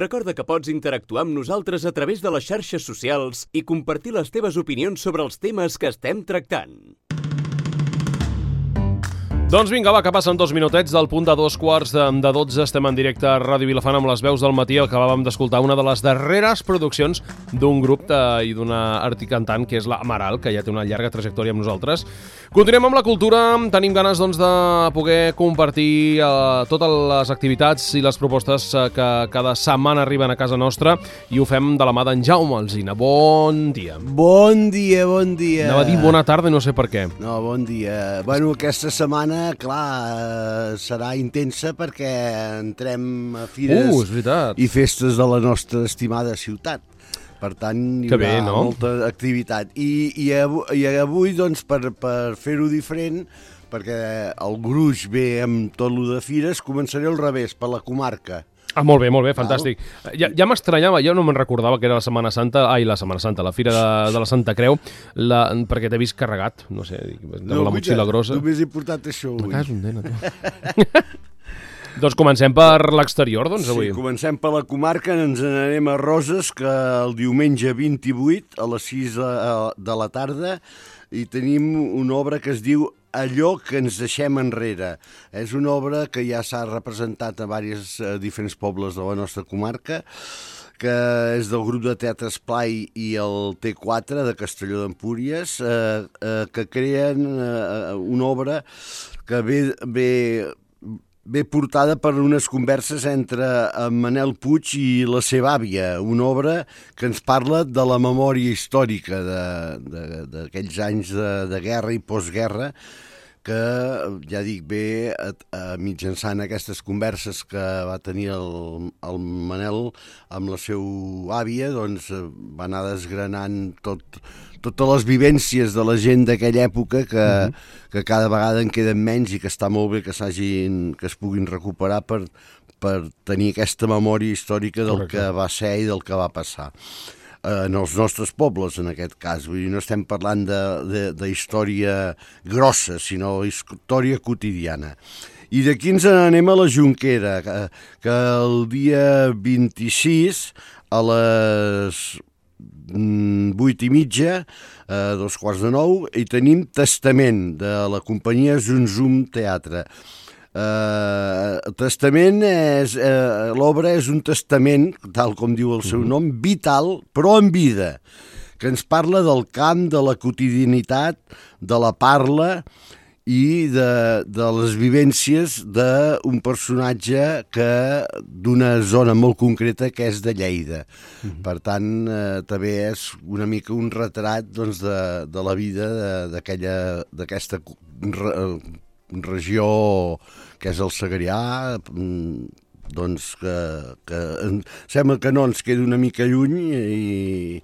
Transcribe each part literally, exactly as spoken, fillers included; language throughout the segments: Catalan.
Recorda que pots interactuar amb nosaltres a través de les xarxes socials i compartir les teves opinions sobre els temes que estem tractant. Doncs vinga, va, que passen dos minutets del punt de dos quarts de, de dotze. Estem en directe a Ràdio Vilafant amb les veus del matí. Acabàvem d'escoltar una de les darreres produccions d'un grup de, i d'una articantant, que és la Amaral, que ja té una llarga trajectòria amb nosaltres. Continuem amb la cultura. Tenim ganes doncs, de poder compartir eh, totes les activitats i les propostes eh, que cada setmana arriben a casa nostra, i ho fem de la mà d'en Jaume Alsina. Bon dia. Bon dia, bon dia. Anava a dir bona tarda i no sé per què. No, bon dia. Bueno, aquesta setmana, clar, serà intensa perquè entrem a fires uh, és veritat. i festes de la nostra estimada ciutat. Per tant, hi que haurà bé, no? molta activitat. I, i, avui, i avui, doncs, per, per fer-ho diferent, perquè el gruix ve amb tot lo de fires, començaré al revés, per la comarca. Ah, molt bé, molt bé, fantàstic. Ja, ja m'estranyava, jo no me'n recordava que era la Setmana Santa, ai, la Setmana Santa, la Fira de, de la Santa Creu, la, perquè t'he vist carregat, no sé, amb no, la motxilla grossa. Només he portat això avui. Me cago en dena, tu. Doncs comencem per l'exterior, doncs, avui. Sí, comencem per la comarca, ens n'anem a Roses, que el diumenge vint-i-vuit, a les sis de la tarda, i tenim una obra que es diu Allò que ens deixem enrere. És una obra que ja s'ha representat a diversos a diferents pobles de la nostra comarca, que és del grup de teatre Esplai i el T quatre de Castelló d'Empúries, eh, eh, que creen eh, una obra que ve... ve ve portada per unes converses entre en Manel Puig i la seva àvia, una obra que ens parla de la memòria històrica d'aquells anys de, de guerra i postguerra, que, ja dic, ve a, a mitjançant aquestes converses que va tenir el, el Manel amb la seva àvia, doncs va anar desgranant tot, totes les vivències de la gent d'aquella època que, uh-huh. que cada vegada en queden menys i que està molt bé que, que es puguin recuperar per, per tenir aquesta memòria històrica del Correcte. Que va ser i del que va passar. En els nostres pobles, en aquest cas. Vull dir, no estem parlant de, de, de història grossa, sinó història quotidiana. I d'aquí ens anem a la Jonquera, que, que el dia vint-i-sis, a les vuit i mitja, a dos quarts de nou, i tenim Testament, de la companyia Zum Zum Teatre. Uh, el testament és uh, l'obra és un testament, tal com diu el seu nom, vital però en vida, que ens parla del camp, de la quotidianitat, de la parla i de, de les vivències d'un personatge que d'una zona molt concreta que és de Lleida. Mm-hmm. Per tant, eh, també és una mica un retrat, doncs, de, de la vida d'aquella d'aquesta re, regió que és el Segrià, doncs que, que sembla que no ens queda una mica lluny i,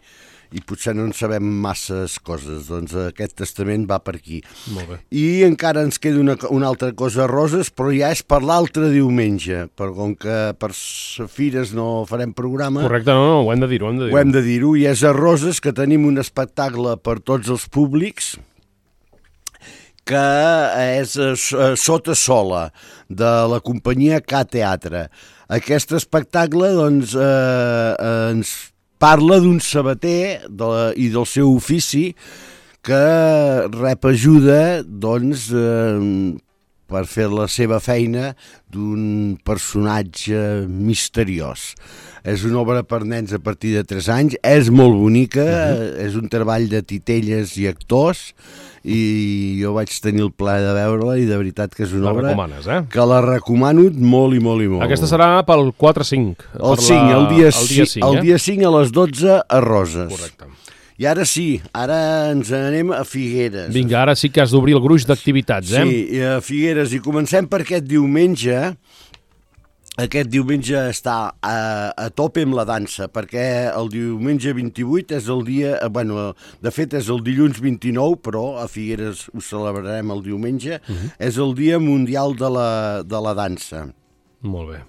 i potser no en sabem masses coses. Doncs aquest testament va per aquí. Molt bé. I encara ens queda una, una altra cosa a Roses, però ja és per l'altre diumenge, per, com que per fires no farem programa. Correcte, no, no, ho hem de dir-ho. Ho hem de dir-ho, ho hem de dir-ho, i és a Roses, que tenim un espectacle per tots els públics, que és Sota Sola, de la companyia K Teatre. Aquest espectacle, doncs, eh, ens parla d'un sabater de la, i del seu ofici, que rep ajuda, doncs, eh, per fer la seva feina d'un personatge misteriós. És una obra per nens a partir de tres anys, és molt bonica, uh-huh. és un treball de titelles i actors, i jo vaig tenir el plaer de veure-la i de veritat que és una la obra eh? que la recomano molt i molt i molt. Aquesta serà pel quatre cinc. El cinc, el dia, el dia cinc, el eh? dia cinc a les dotze a Roses. Correcte. I ara sí, ara ens anem a Figueres. Vinga, ara sí que has d'obrir el gruix d'activitats, eh? Sí, a Figueres, i comencem per aquest diumenge. Aquest diumenge està a, a tope amb la dansa, perquè el diumenge vint-i-vuit és el dia, bueno, de fet és el dilluns vint-i-nou, però a Figueres ho celebrarem el diumenge, uh-huh. és el dia mundial de la, de la dansa. Molt bé.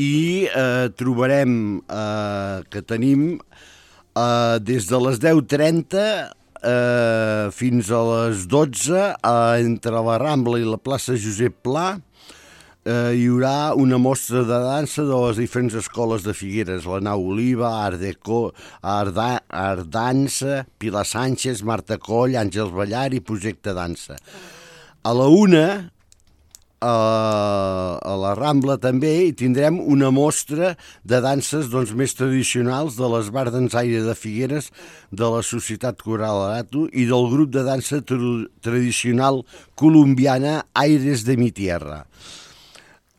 I eh, trobarem eh, que tenim eh, des de les deu trenta eh, fins a les dotze, eh, entre la Rambla i la plaça Josep Pla, eh, hi haurà una mostra de dansa de les diferents escoles de Figueres, la Nau Oliva, Art Deco, Art, Art Dansa, Pilar Sánchez, Marta Coll, Àngels Ballar i Projecte Dansa. A la una, a, a la Rambla també, hi tindrem una mostra de danses doncs, més tradicionals de l'Esbar Dansaire de Figueres, de la Societat Coral Arato i del grup de dansa tra tradicional colombiana Aires de mi Tierra.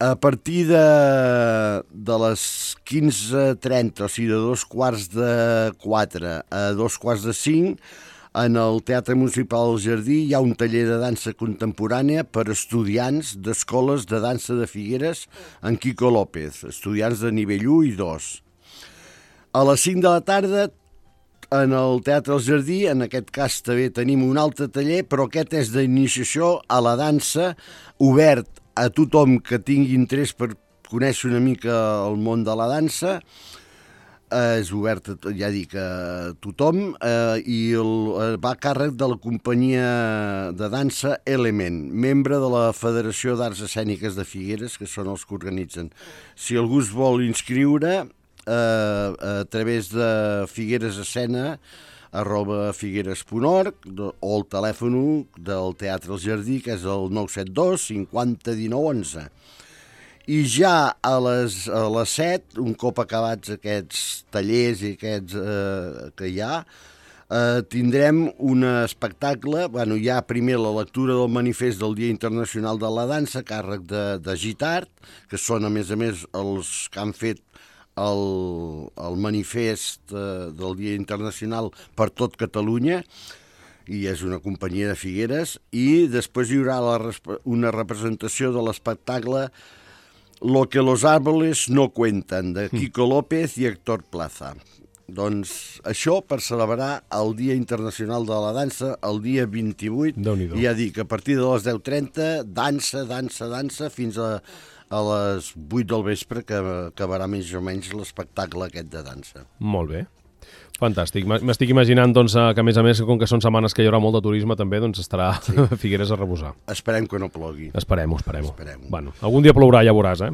A partir de, de les quinze trenta, o sigui, de dos quarts de quatre a dos quarts de cinc, en el Teatre Municipal del Jardí hi ha un taller de dansa contemporània per estudiants d'escoles de dansa de Figueres en Quico López, estudiants de nivell u i dos. A les cinc de la tarda, en el Teatre del Jardí, en aquest cas també tenim un altre taller, però aquest és d'iniciació a la dansa, obert a tothom que tingui interès per conèixer una mica el món de la dansa. Eh, és obert, ja dic, a tothom, eh, i el, va a càrrec de la companyia de dansa Element, membre de la Federació d'Arts Escèniques de Figueres, que són els que organitzen. Si algú es vol inscriure, eh, a través de Figueres Escena, arroba figueres punt org, o el telèfon del Teatre del Jardí, que és el nou set dos cinquanta dinou onze. I ja a les, a les set, un cop acabats aquests tallers i aquests eh, que hi ha, eh, tindrem un espectacle, bueno, hi ha primer la lectura del manifest del Dia Internacional de la Dansa, a càrrec de, de Gitart, que són a més a més els que han fet el, el manifest eh, del Dia Internacional per tot Catalunya, i és una companyia de Figueres, i després hi haurà la, una representació de l'espectacle Lo que los árboles no cuentan, de Quico López i Héctor Plaza. Doncs això per celebrar el Dia Internacional de la Dansa, el dia vint-i-vuit, i ja dic, a partir de les deu trenta, dansa, dansa, dansa, fins a, a les vuit del vespre, que acabarà més o menys l'espectacle aquest de dansa. Molt bé. Fantàstic. M'estic imaginant doncs, que, a més a més, com que són setmanes que hi haurà molt de turisme, també doncs, estarà sí. Figueres a reposar. Esperem que no plogui. Esperem-ho, esperem-ho. Esperem bueno, algun dia plourà, ja veuràs, eh?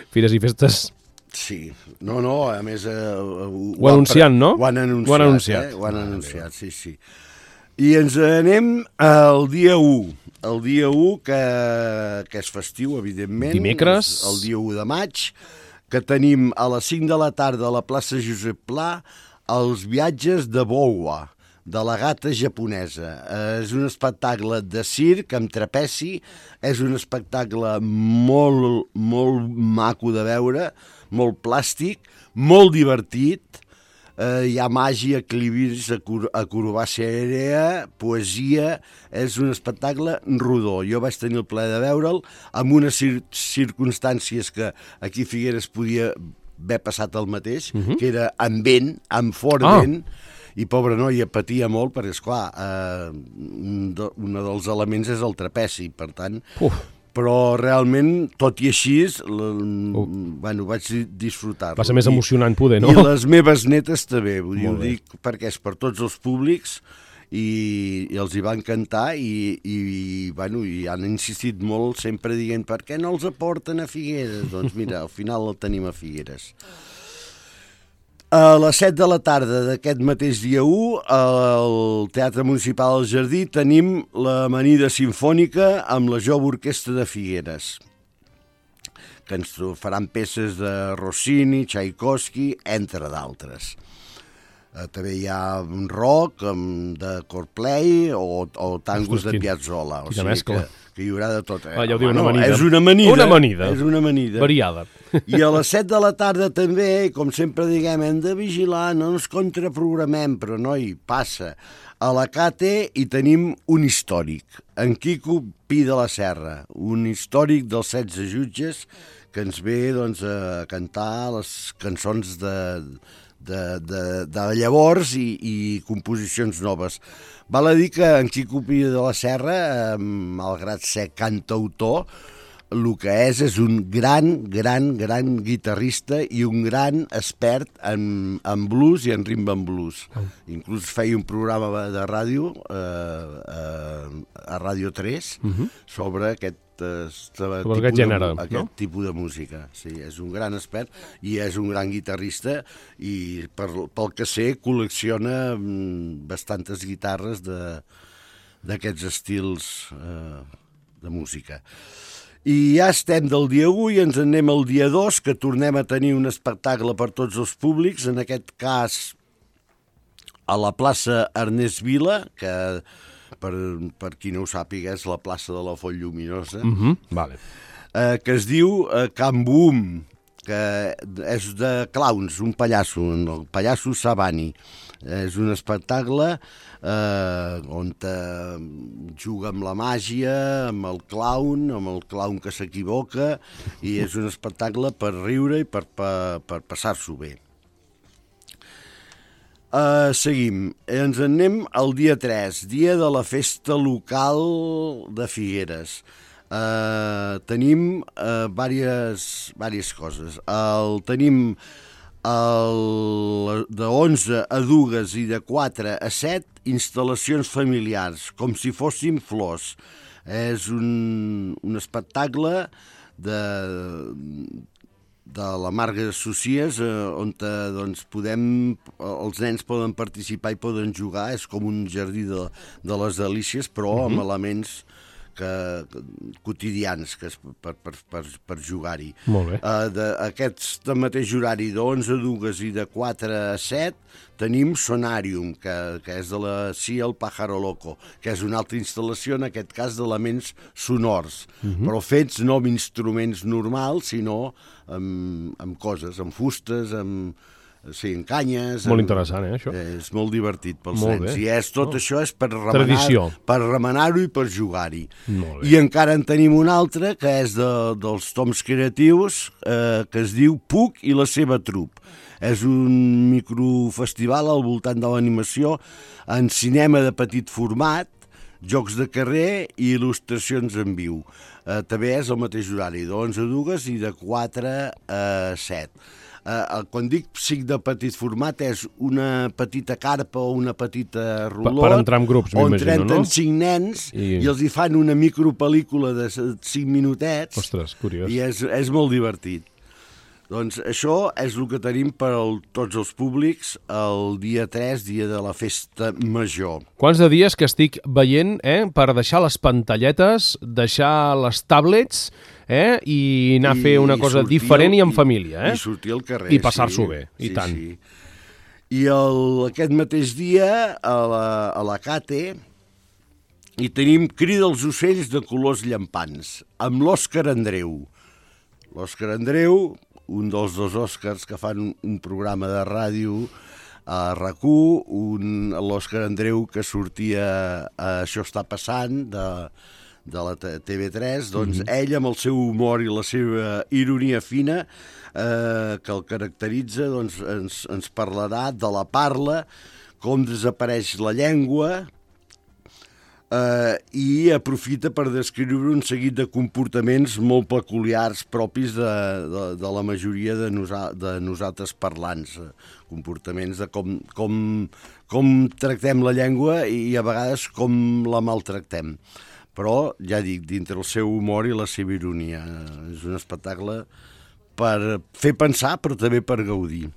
Fires i festes... Sí. No, no, a més... Eh, ho, ho anunciant, no? Ho han anunciat, ho han anunciat. Eh? Ho han anunciat, sí, sí. I ens anem al dia u. El dia u, que, que és festiu, evidentment. Dimecres. El dia u de maig, que tenim a les cinc de la tarda a la plaça Josep Pla els viatges de Bowa, de la gata japonesa. És un espectacle de circ amb trapeci, és un espectacle molt, molt maco de veure, molt plàstic, molt divertit, eh, hi ha màgia, equilibris, acrobàcia aèrea, poesia, és un espectacle rodó. Jo vaig tenir el plaer de veure'l amb unes cir circumstàncies que aquí Figueres podia haver passat el mateix, uh -huh. que era amb vent, amb fort ah. vent, i pobra noia patia molt, perquè, esclar, eh, un, de, un dels elements és el trapeci, per tant... Uf. Però realment, tot i així, uh. bueno, vaig disfrutar-lo. Va ser més emocionant poder, no? I les meves netes també, vull dir, ho dic perquè és per tots els públics, i, i els hi va encantar, i, i, bueno, i han insistit molt sempre dient per què no els aporten a Figueres? Doncs mira, al final el tenim a Figueres. A les set de la tarda d'aquest mateix dia u, al Teatre Municipal del Jardí, tenim l'Amanida Simfònica amb la Jove Orquestra de Figueres, que ens faran peces de Rossini, Tchaikovsky, entre d'altres. Uh, també hi ha un rock um, de Coldplay o, o tangos Ostres, de Piazzolla. O sigui que, que hi haurà de tot. Eh? Ah, ja ho diu, una amanida. És una amanida. Una amanida. És una amanida. Variada. I a les set de la tarda també, com sempre diguem, hem de vigilar, no ens contraprogramem, però noi, passa. A la Cate hi tenim un històric, en Quico Pi de la Serra, un històric dels setze jutges que ens ve doncs, a cantar les cançons de... De, de, de llavors i, i composicions noves. Val a dir que en Quico Pi de la Serra, malgrat ser cantautor, el que és és un gran, gran, gran guitarrista i un gran expert en, en blues i en rhythm and blues. Oh. Inclús feia un programa de ràdio eh, eh, a Ràdio tres uh-huh. sobre aquest tipus, aquest gènere, de, aquest no? tipus de música. Sí, és un gran expert i és un gran guitarrista i per, pel que sé col·lecciona bastantes guitarres d'aquests estils eh, de música. I ja estem del dia u i ens anem al dia dos, que tornem a tenir un espectacle per tots els públics, en aquest cas a la plaça Ernest Vila, que per, per qui no ho sàpiga és la plaça de la Font Lluminosa, uh-huh. vale. eh, que es diu eh, Can Boom, que és de clowns, un pallasso, el pallasso Sabani. És un espectacle eh, on eh, juga amb la màgia, amb el clown, amb el clown que s'equivoca, i és un espectacle per riure i per, per, per passar-s'ho bé. Uh, seguim. Ens en anem al dia tres, dia de la festa local de Figueres. Uh, tenim uh, diverses, diverses coses. El, tenim el, de onze a dues i de quatre a set instal·lacions familiars, com si fossin flors. És un, un espectacle de... de la Marga de Socies, eh, on eh, doncs, podem, els nens poden participar i poden jugar, és com un jardí de, de les delícies, però uh-huh. amb elements que, quotidians que és per, per, per, per jugar-hi. Molt bé. Uh, de, aquest mateix horari d'onze a dues i de quatre a set tenim Sonarium, que, que és de la C I A El Pájaro Loco, que és una altra instal·lació, en aquest cas d'elements sonors, uh-huh. però fets no amb instruments normals, sinó amb, amb coses, amb fustes, amb... Sí, en canyes... Molt en... interessant, eh, això? És molt divertit pels molt nens. Bé. I és, tot oh. això és per remenar, Tradició. Per remenar-ho i per jugar-hi. I encara en tenim un altre, que és de, dels toms creatius, eh, que es diu Puc i la seva trup. És un microfestival al voltant de l'animació en cinema de petit format, jocs de carrer i il·lustracions en viu. Eh, també és el mateix horari, d'onze a dues i de quatre a set. Uh, quan dic psic de petit format és una petita carpa o una petita rulot per entrar en grups, on m'imagino, no? trenten cinc nens i... i els hi fan una micropel·lícula de cinc minutets. Ostres, curiós. I és, és molt divertit. Doncs això és el que tenim per al, tots els públics el dia tres, dia de la festa major. Quants de dies que estic veient eh, per deixar les pantalletes, deixar les tablets eh, i anar I, a fer una cosa diferent i en família. Eh? I sortir al carrer. I passar-s'ho sí, bé, i sí, tant. Sí. I el, aquest mateix dia a la, a la Cate hi tenim Crida als ocells de colors llampants, amb l'Òscar Andreu. L'Òscar Andreu, un dels dos Òscars que fan un, un programa de ràdio a RAC u, l'Òscar Andreu que sortia a Això està passant, de, de la T V tres, doncs mm-hmm. ell amb el seu humor i la seva ironia fina eh, que el caracteritza, doncs ens, ens parlarà de la parla, com desapareix la llengua, Uh, i aprofita per descriure un seguit de comportaments molt peculiars propis de, de, de la majoria de, nosa, de nosaltres parlants, comportaments de com, com, com tractem la llengua i, i a vegades com la maltractem. Però, ja dic, dintre el seu humor i la seva ironia. És un espectacle per fer pensar, però també per gaudir.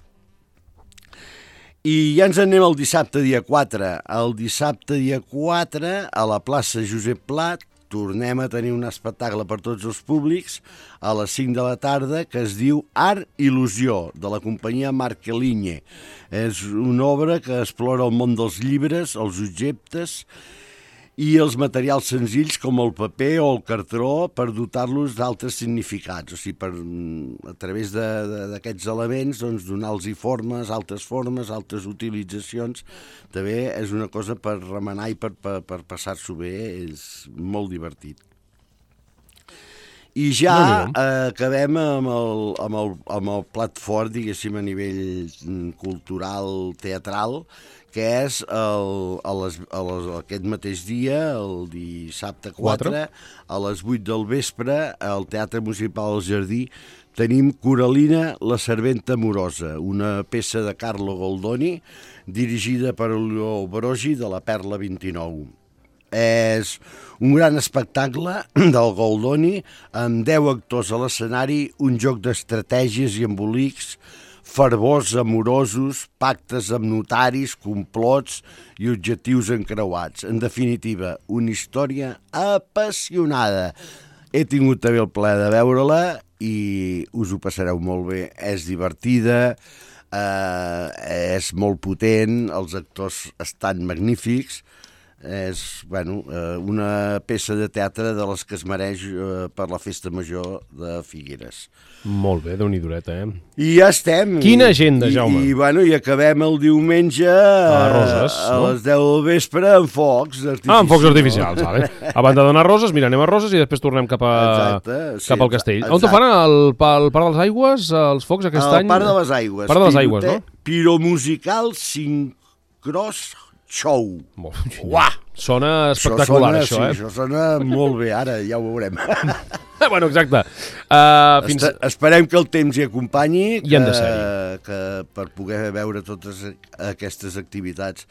I ja ens anem al dissabte dia quatre. El dissabte dia quatre, a la plaça Josep Plat, tornem a tenir un espectacle per tots els públics a les cinc de la tarda que es diu Art Il·lusió, de la companyia Marqueligne. És una obra que explora el món dels llibres, els objectes i els materials senzills com el paper o el cartró per dotar-los d'altres significats, o sigui, per, a través d'aquests elements doncs, donar-los formes, altres formes, altres utilitzacions. També és una cosa per remenar i per, per, per passar-s'ho bé, és molt divertit. I ja eh, acabem amb el, amb, el, amb el plat fort, diguéssim, a nivell cultural, teatral, que és el, a les, a les, aquest mateix dia, el dissabte quatre, a les vuit del vespre, al Teatre Municipal del Jardí, tenim Coralina, la serventa amorosa, una peça de Carlo Goldoni, dirigida per Olio Brogi, de la Perla vint-i-nou. És un gran espectacle del Goldoni, amb deu actors a l'escenari, un joc d'estratègies i embolics, fervors amorosos, pactes amb notaris, complots i objectius encreuats. En definitiva, una història apassionada. He tingut també el plaer de veure-la i us ho passareu molt bé. És divertida, eh, és molt potent, els actors estan magnífics. És bueno, una peça de teatre de les que es mereix per la Festa Major de Figueres. Molt bé, déu-n'hi-doreta, eh? I ja estem. Quina agenda, Jaume. I, i, bueno, i acabem el diumenge a Roses, a no? les deu del vespre amb focs artificials. Ah, amb focs artificials, vale. Abans de donar Roses, mira, anem a Roses i després tornem cap, a, exacte, sí, cap al castell. exacte. On te fan? Al, al Parc de les Aigües, els focs aquest al any? Al Parc de les Aigües. Parc de les Aigües, no? Piromusical Sincros Show. Molt, uah, sona espectacular, això, sona, eh? Sí, això sona molt bé, ara ja ho veurem. Bueno, exacte. Uh, fins... Esperem que el temps hi acompanyi, I han de que, ser-hi. que per poder veure totes aquestes activitats.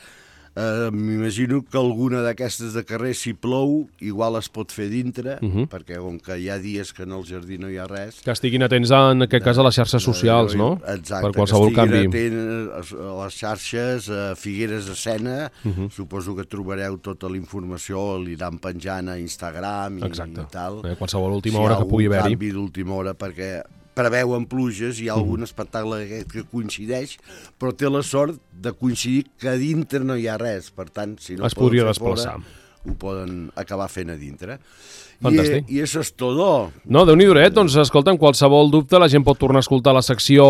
Uh, M'imagino que alguna d'aquestes de carrer, si plou, igual es pot fer dintre, uh -huh. perquè com que hi ha dies que en el jardí no hi ha res... Que estiguin atents, en aquest cas, a les xarxes socials, no? Exacte, per qualsevol que estiguin canvi. atents a les xarxes, a Figueres Escena, uh -huh. suposo que trobareu tota la informació, l'aniran penjant a Instagram i, Exacte. i tal. Eh, qualsevol última hora que pugui haver-hi. Si hi ha algun canvi d'última hora, perquè preveuen pluges, hi ha algun uh -huh. espectacle aquest que coincideix, però té la sort de coincidir que a dintre no hi ha res, per tant, si no es podria fer desplaçar. Fora, ho poden acabar fent a dintre. Fantàstic. I, i això és tot. No, Déu-n'hi-do, doncs, escolta, en qualsevol dubte, la gent pot tornar a escoltar la secció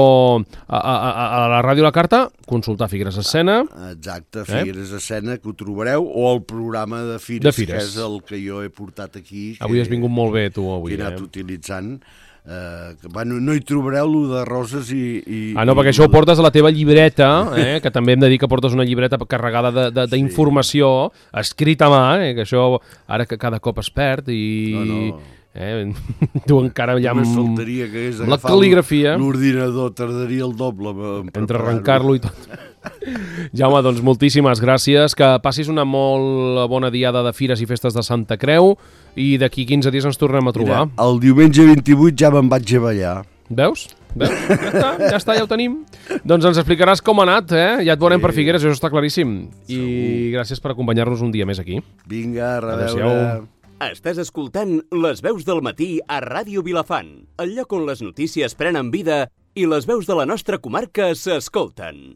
a, a, a, a la ràdio La Carta, consultar Figueres Escena. Exacte, Figueres eh? Escena, que ho trobareu, o el programa de Fires, de Fires, que és el que jo he portat aquí. Avui que, has vingut molt bé, tu, avui. Que he anat eh? utilitzant. Uh, que, bueno, no hi trobareu lo de Roses i... i ah, no, perquè i això ho portes a la teva llibreta, eh? Que també hem de dir que portes una llibreta carregada d'informació, sí. escrita a mà, eh? Que això ara que cada cop es perd i... No, no. Eh? Tu encara ja amb, faltaria que hagués amb la cal·ligrafia. L'ordinador tardaria el doble entre arrencar-lo i tot. Jaume, doncs moltíssimes gràcies, que passis una molt bona diada de Fires i Festes de Santa Creu i d'aquí quinze dies ens tornem a trobar. Mira, el diumenge vint-i-vuit ja me'n vaig a ballar. Veus? Veus? Ja està, ja està, ja ho tenim. Doncs ens explicaràs com ha anat, eh? Ja et veurem sí. per Figueres, això està claríssim. Segur. I gràcies per acompanyar-nos un dia més aquí. Vinga, a reveure. Estàs escoltant Les veus del matí a Ràdio Vilafant, el lloc on les notícies prenen vida i les veus de la nostra comarca s'escolten.